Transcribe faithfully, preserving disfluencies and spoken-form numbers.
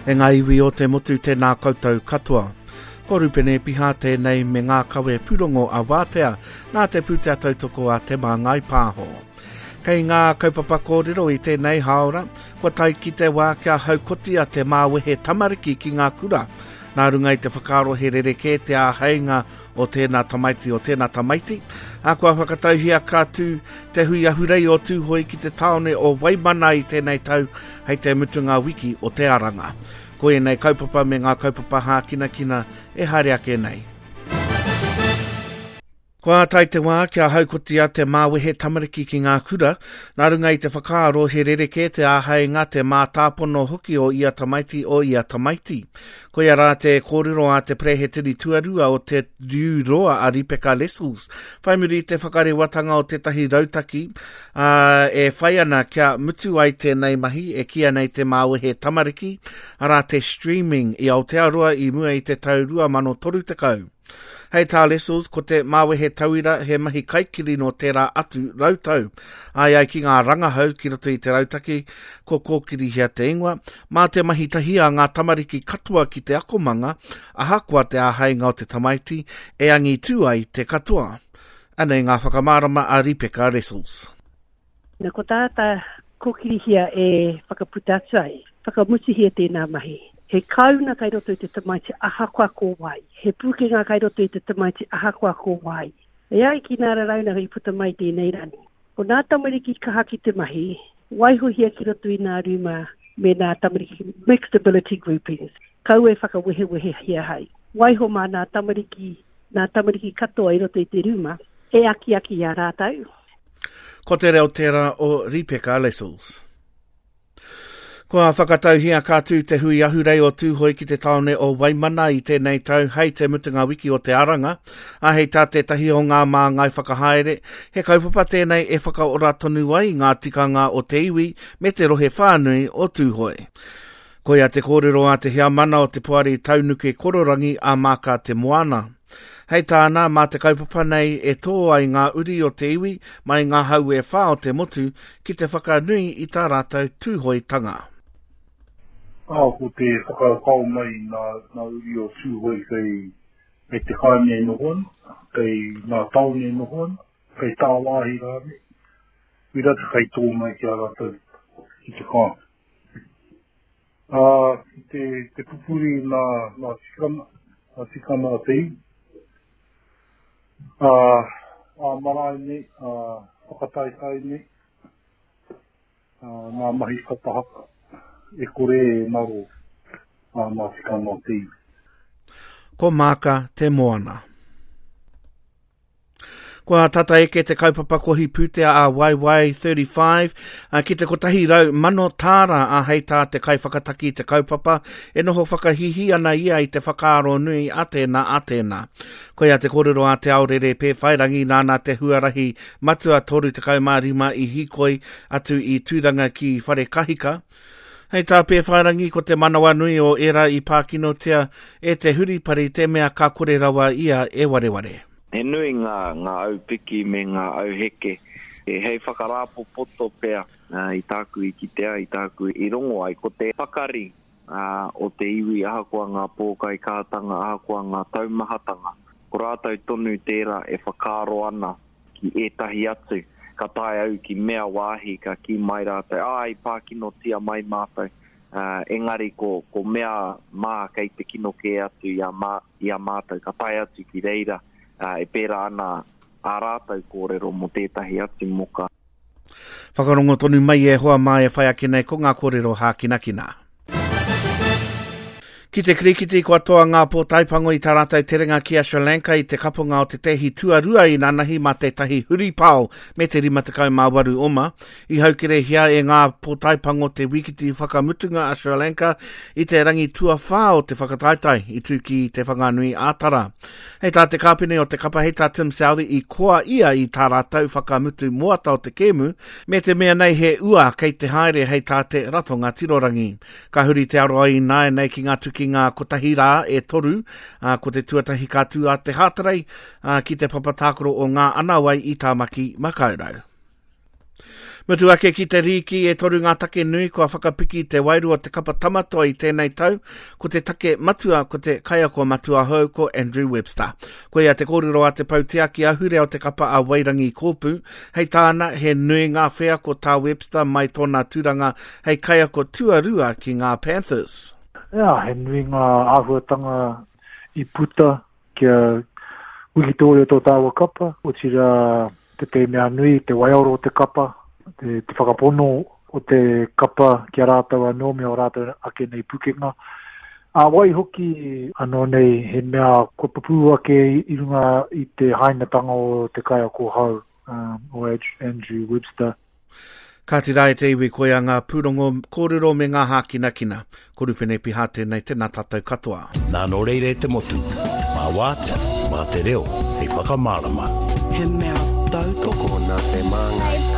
E ngā iwi o te motu tēnā koutou katoa. Ko Rupene Piha tēnei me ngā kawe pūrongo a Wātea nā te pūtea tautoko a Te Māngai Pāho. Kei ngā kaupapa kōrero i tēnei haora, kua tae ki te wā kia haukotia te māwehe tamariki ki ngā kura. Nā runga i te whakaaro he rerekē te āheinga o tēnā tamaiti o tēnā tamaiti. A kua whakatauhia ka tū te hui ahurei o Tūhoe ki te tāone o Waimana i tēnei tau hei te mutunga wiki o te aranga. Ko ēnei kaupapa me ngā kaupapa hākinakina e haere ake nei. Kua tae te wā kia haukotia te māwehe tamariki ki ngā kura, nā runga i te whakaaro he rerekē te āheinga te mātāpono hoki o ia tamaiti o ia tamaiti. Koia rā te kōrero a te Perehetini tuarua o te Riu Roa a Ripeka Lessels. Whai muri i te whakarewatanga o tētahi rautaki uh, e whai ana kia mutu ai tēnei mahi e kīia nei te māwehe tamariki, arā te streaming i Aotearoa i mua i te tau rua mano toru tekau. Hei tā Lessels, ko te māwehe tauira he mahi kaikiri no tērā atu rautau. Ai ai ki ngā rangahau ki roto i te rautaki, ko kōkirihia te ingoa, mā te mahi tahi a ngā tamariki katoa ki te akomanga, ahakoa te āheinga o te tamaiti, e angitū ai te katoa. Anei ngā whakamārama a Ripeka Lessels. Na ko tāta kōkirihia e whakaputa atu ai, whakamutuhia tēnā mahi. He kauna kai roto i te tamaiti ahakoa ko wai. He pūkenga kai roto i te tamaiti ahakoa ko wai. E ai ki nā rarauna i puta mai tēnei rani. Ko nā tamariki kaha ki te mahi, waihohia ki roto i nā ruma me nā tamariki mixed ability groupings. Kau e whakawehewehehia hai. Waiho mā nā tamariki, nā tamariki katoa i roto i te ruma, e akiaki i a rātou. Ko te reo tērā o Ripeka Lessels. Kua whakatauhia ka tū te hui ahurei o Tūhoe ki te tāone o Waimana i tēnei tau hei te mutunga wiki o te aranga. A hei tā tētahi o ngā māngai whakahaere, he kaupapa tēnei e whakaora tonu ai ngā tikanga o te iwi me te rohe whānui o Tūhoe. Koia te kōrero a te heamana o te poari taunuke kororangi a Māka Te Moana. Hei tāna, mā te kaupapa nei e tō ai ngā uri o te iwi mai ngā hau e whā o te motu ki te whakanui i tā rātou Tūhoetanga. Ah, ko te whakakao mai nā, nā uri o Tūhoe kei, kei te kāinga e noho ana, kei ngā tāone e noho ana, kei tāwāhi rānei. Wira te kei tō mai ki a rātou ki te kāinga. Ah, ki te, te pupuri nā, nā tikanga, nā tikanga a te iwi. Ah, a marae nei, a whakataetae nei, a ngā mahi kapahaka e kore e ngaro a ngā tikanga o te iwi. Ko Māka Te Moana. Kua tata eke te kaupapa kohi pūtea a Y Y thirty-five ki te kotahi rau mano tāra a hei tā te kaiwhakataki te kaupapa e noho whakahihi ana ia i te whakaaro nui a tēnā a tēnā. Koia te kōrero a Te Aorere Pēwhairangi nāna te huarahi matua toru tekau mā rima i hīkoi atu i Tūranga ki Wharekahika. Hei tā Pēwhairangi ko te manawa nui o era i pākinotia e te huripari te mea ka kore rawa ia e wareware. He nui ngā, ngā aupiki me ngā auheke. E hei whakarāpopoto pea uh, i tāku i kitea, i tāku i rongo ai. Ko te pakari uh, o te iwi ahakoa ngā pōkai kātanga, ahakoa ngā taumahatanga. Ko rātou tonu tērā e whakaaro ana ki ētahi atu. Ka tae au ki mea wāhi, ka ki mai rātou, ai, pākinotia mai mātou. Uh, engari ko, ko mea mā kei te kino kē atu i a, mā, i a mātou. Ka tae atu ki reira, uh, e pērā ana ā rātou kōrero mō tētahi atu moka. Whakarongo tonu mai e hoa mā e whai ake nei ko ngā kōrero hākinakina. Ki te kirikiti kua toa ngā pōtaipango i tā rātou terenga ki a Sri Lanka i te kaponga o te tehi tuarua i nanahi mā tētahi huripao me te rima tekau mā waru oma. I haukerehia e ngā pōtaipango te wikiti whakamutunga a Sri Lanka i te rangi tuawhā o te whakataetae i tū ki te Whanganui ā-Tara. Hei tā te kāpene o te kapa hei tā Tim Southey i koa ia i tā rātou whakamutu moata o te kēmu me te mea nei he ua kei te haere hei tā te ratonga tirorangi. Ka huri te aroa i nāianei ki ngā tuki ngā kotahi rā e toru, uh, ko te tuatahi ka tū a te Hātarei uh, ki te papatākaro o ngā anawai i Tāmaki Makaurau. Mutu ake ki te rīki e toru ngā take nui kua whakapiki te wairua te kapa tamatoa i tēnei tau, ko te take matua ko te kaiako matua hou ko Andrew Webster. Koia te kōrero a te pautiaki ahurea o te kapa a Wairangi Kōpū, hei tāna he nui ngā wheako tā Webster mai tōna tūranga hei kaiako tuarua ki ngā Panthers. Yeah, he nui ngā āhuatanga i puta kia wikitoria tō tāua kapa, otirā te te mea nui, te waioro o te kapa, te, te whakapono o te kapa ki a rātou anō me o rātou ake nei pukenga. A wai hoki anō nei he mea kua pupū ake i runga i te hainatanga o te kaiako hau um, o Andrew Webster. Ka tira e te iwi koia ngā pūrongo kōrero me ngā hākinakina. Ko Rupene Piha tēnei tēnā tātou katoa. Nā nō reira e te motu, mā wātea, mā te reo, hei whakamārama. He mea tautoko nā te māngai.